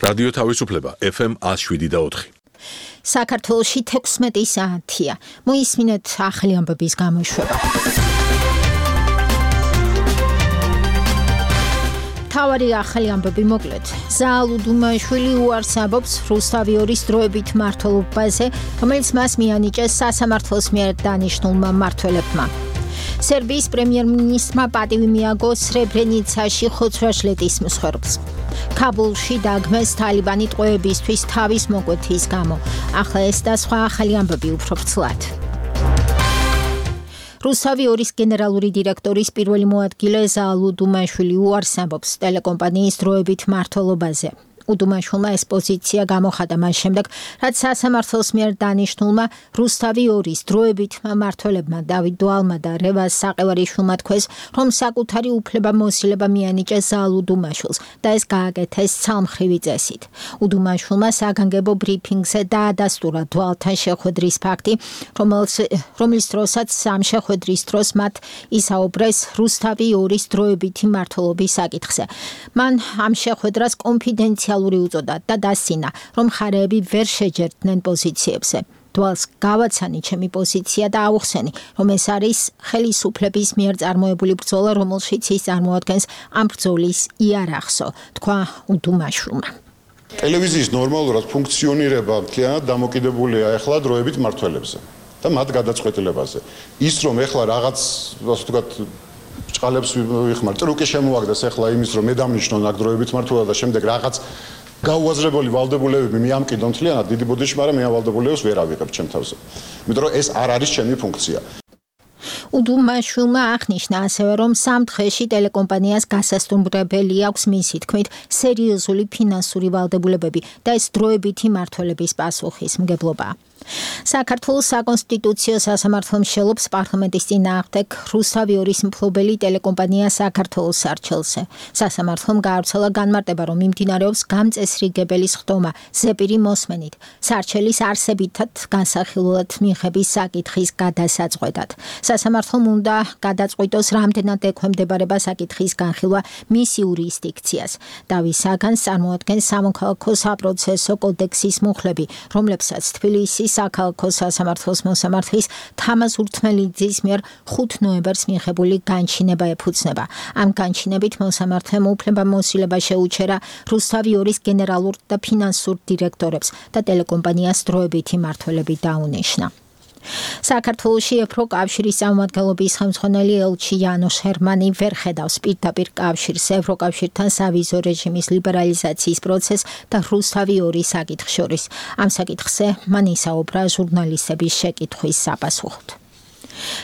რადიო თავისუფლება FM 107.4. საქართველოში 16 საათია. მოისმინეთ ახალი ამბების გამოშვება. თავარი ახალი ამბები მოკლედ. ზაალ უდუმაშვილი უარს ამბობს რუსთავიორის დროებით მმართველობაზე, რომელიც მას მიანიჭეს სასამართლოს მიერ დანიშნულმა მმართველებმა. სერბიის პრემიერ-მინისტრმა პატივი მიაგო სრებრენიცაში ხოცვა-ჟლეტის მსხვერპლს. ქაბულში დაგმეს თალიბანი ტყვეებისთვის თავის მოკვეთის გამო. ახლა ეს და სხვა ახალი ამბები უფრო ვრცლად. რუსთავიორის გენერალური დირექტორის პირველი მოადგილე ზაალ უდუმაშვილი უარს ამბობს ტელეკომპანიის დროებით მმართველობაზე. უდუმაშვილმა ეს პოზიცია გამოხატა მას შემდეგ, რაც სასამართლოს მიერ დანიშნულმა რუსთავიორის დროებით მმართველებმა დავით დვალმა და რევაზ საყევარიშვილმა თქვეს, რომ საკუთარი უფლება-მოსილება მიანიჭეს ზაალ უდუმაშვილს და ეს გააკეთეს ცალმხრივი წესით. უდუმაშვილმა საგანგებო ბრიფინგზე დაადასტურა დვალთან შეხვედრის ფაქტი, რომლის დროსაც ამ შეხვედრის დროს მათ ისაუბრეს რუსთავიორის დროებითი მმართველობის საკითხზე. მან ამ შეხვედრას კონფიდენციალური უწოდა და დასცინა, რომ მხარეები ვერ შეჯერდნენ პოზიციებზე. დვალს გავაცანი ჩემი პოზიცია და ავუხსენი, რომ ეს არის ხელისუფლების მიერ წარმოებული ბრძოლა, რომელშიც ის წარმოადგენს ამ ბრძოლის იარაღსო, თქვა უდუმაშვილმა. ტელევიზიის ნორმალურად ფუნქციონირება მთლიანად დამოკიდებულია ახლა დროებით მმართველებზე და მათ გადაწყვეტილებაზე. ის რომ ახლა რაღაც, ასე ვთქვათ, ჭყალებს ვიხმარ, ტრუკი შემოაგდეს ახლა იმის, რომ მე დამნიშნონ აქ დროებით მმართველობა და შემდეგ რაღაც გაუაზრებელი ვალდებულებები მიამკიდონ მთლიანად დიდი ბოდიში, მაგრამ მე ამ ვალდებულებებს ვერ ავიღებ ჩემ თავზე. იმიტომ რომ ეს არ არის ჩემი ფუნქცია. უდუმაშვილმა აღნიშნა ასევე, რომ სამ დღეში ტელეკომპანიას გასასტუმრებელი აქვს მისი თქმით სერიოზული ფინანსური ვალდებულებები და ეს დროებითი მმართველების პასუხისმგებლობა. საქართველოს საკონსტიტუციო სასამართლო მსჯელობს პარლამენტის წინააღმდეგ რუსთავიორის მფლობელი ტელეკომპანია საქართველოს სარჩელზე. სასამართლომ გაავრცელა განმარტება, რომ მიმდინარეობს გამწესრიგებელი სხდომა ზეპირი მოსმენით სარჩელის არსებითად განსახილველად მიღების საკითხის გადასაწყვეტად. სასამართლომ უნდა გადაწყვიტოს, რამდენად ექვემდებარება საკითხის განხილვა მის იურისდიქციას. დავის საგანს წარმოადგენს სამოქალაქო საპროცესო კოდექსის მუხლები, რომლებსაც თბილისის საქალაქო სასამართლოს მოსამართლის თამაზ ურთმელიძის მიერ 5 ნოემბერს მიღებული განჩინება ეფუძნება. ამ განჩინებით მოსამართლემ უფლება-მოსილება შეუჩერა რუსთავიორის გენერალურ და ფინანსურ დირექტორებს და ტელეკომპანიას დროებითი მმართველები დაუნიშნა. საქართველოში ევროკავშირის წარმომადგენლობის ხელმძღვანელი ელჩი იანოშ ჰერმანი ვერ ხედავს პირდაპირ კავშირს ევროკავშირთან სავიზო რეჟიმის ლიბერალიზაციის პროცესს და რუსთავიორის საკითხს შორის. ამ საკითხზე მან ისაუბრა ჟურნალისტების შეკითხვის საპასუხოდ.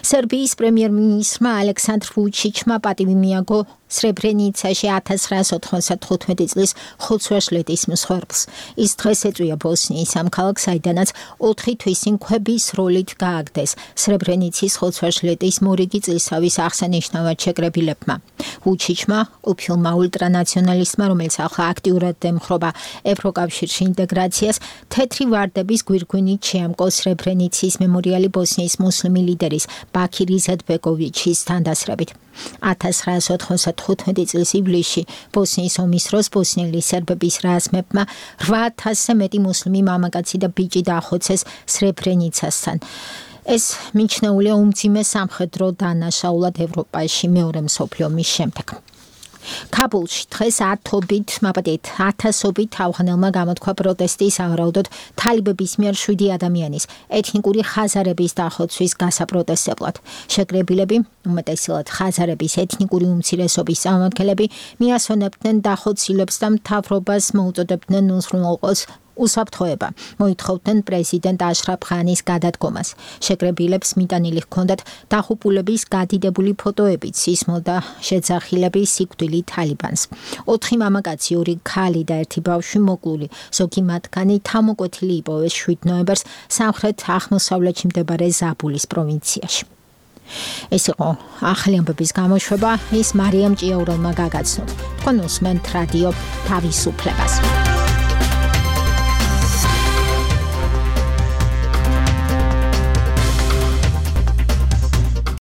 სერბიის პრემიერ-მინისტრმა ალექსანდრ ვუჩიჩმა პატივი მიაგო სრებრენიცაში 1995 წლის ხოცვა-ჟლეტის მსხვერპლს. ის დღეს ეწვია ბოსნიის ამ ქალაქს, საიდანაც 4 თვის წინ ქვების როლით გააგდეს სრებრენიცის ხოცვა-ჟლეტის მორიგი წლისავის აღსანიშნავად შეკრებილებმა. ვუჩიჩმა, ყოფილმა ულტრანაციონალისტმა, რომელიც ახლა აქტიურად ემხრობა ევროკავშირში ინტეგრაციას, თეთრი ვარდების გვირგვინით შეამკო სრებრენიცის მემორიალი ბოსნიის მუსლიმი ლიდერის ბაქირ იზეტბეკოვიჩის თანდასრებით. 1995 წლის ივლისში ბოსნიის ომის დროს ბოსნიელი სერბების რაზმებმა 8000-ზე მეტი მუსლიმი მამაკაცი და ბიჭი დაახოცეს სრებრენიცასთან. ეს მიჩნეულია უმძიმე სამხედრო დანაშაულად ევროპაში მეორე მსოფლიო ომის შემდეგ. ქაბულში დღეს ათასობით ავღანელმა გამოთქვა პროტესტი სავარაუდოდ თალიბების მიერ 7 ადამიანის ეთნიკური ხაზარების დახოცვის გასაპროტესტებლად. შეკრებილები, უმეტესად ხაზარების ეთნიკური უმცირესობის წარმომადგენლები, მიასვენებდნენ დახოცილებს და მთავრობას მოუწოდებდნენ უზრუნველყოს უსაფრთხოება. მოითხოვდნენ პრეზიდენტ აშრაფ ღანის გადადგომას. შეკრებილებს მიტანილი ჰქონდათ დაღუპულების გადიდებული ფოტოებით, სისმო და შეძახილების სიკვდილი თალიბანს. 4 მამაკაცი, 2 ქალი და 1 ბავშვი მოკლული. ზოგი მათგანი თავმოკვეთილი იპოვეს 7 ნოემბერს სამხრეთ აღმოსავლეთში მდებარე ზაბულის პროვინციაში. ეს იყო ახალი ამბების გამოშვება. ის მარიამ ჭიაურელმა გაგაცნოთ. თქვენ უსმენთ რადიო თავისუფლებას.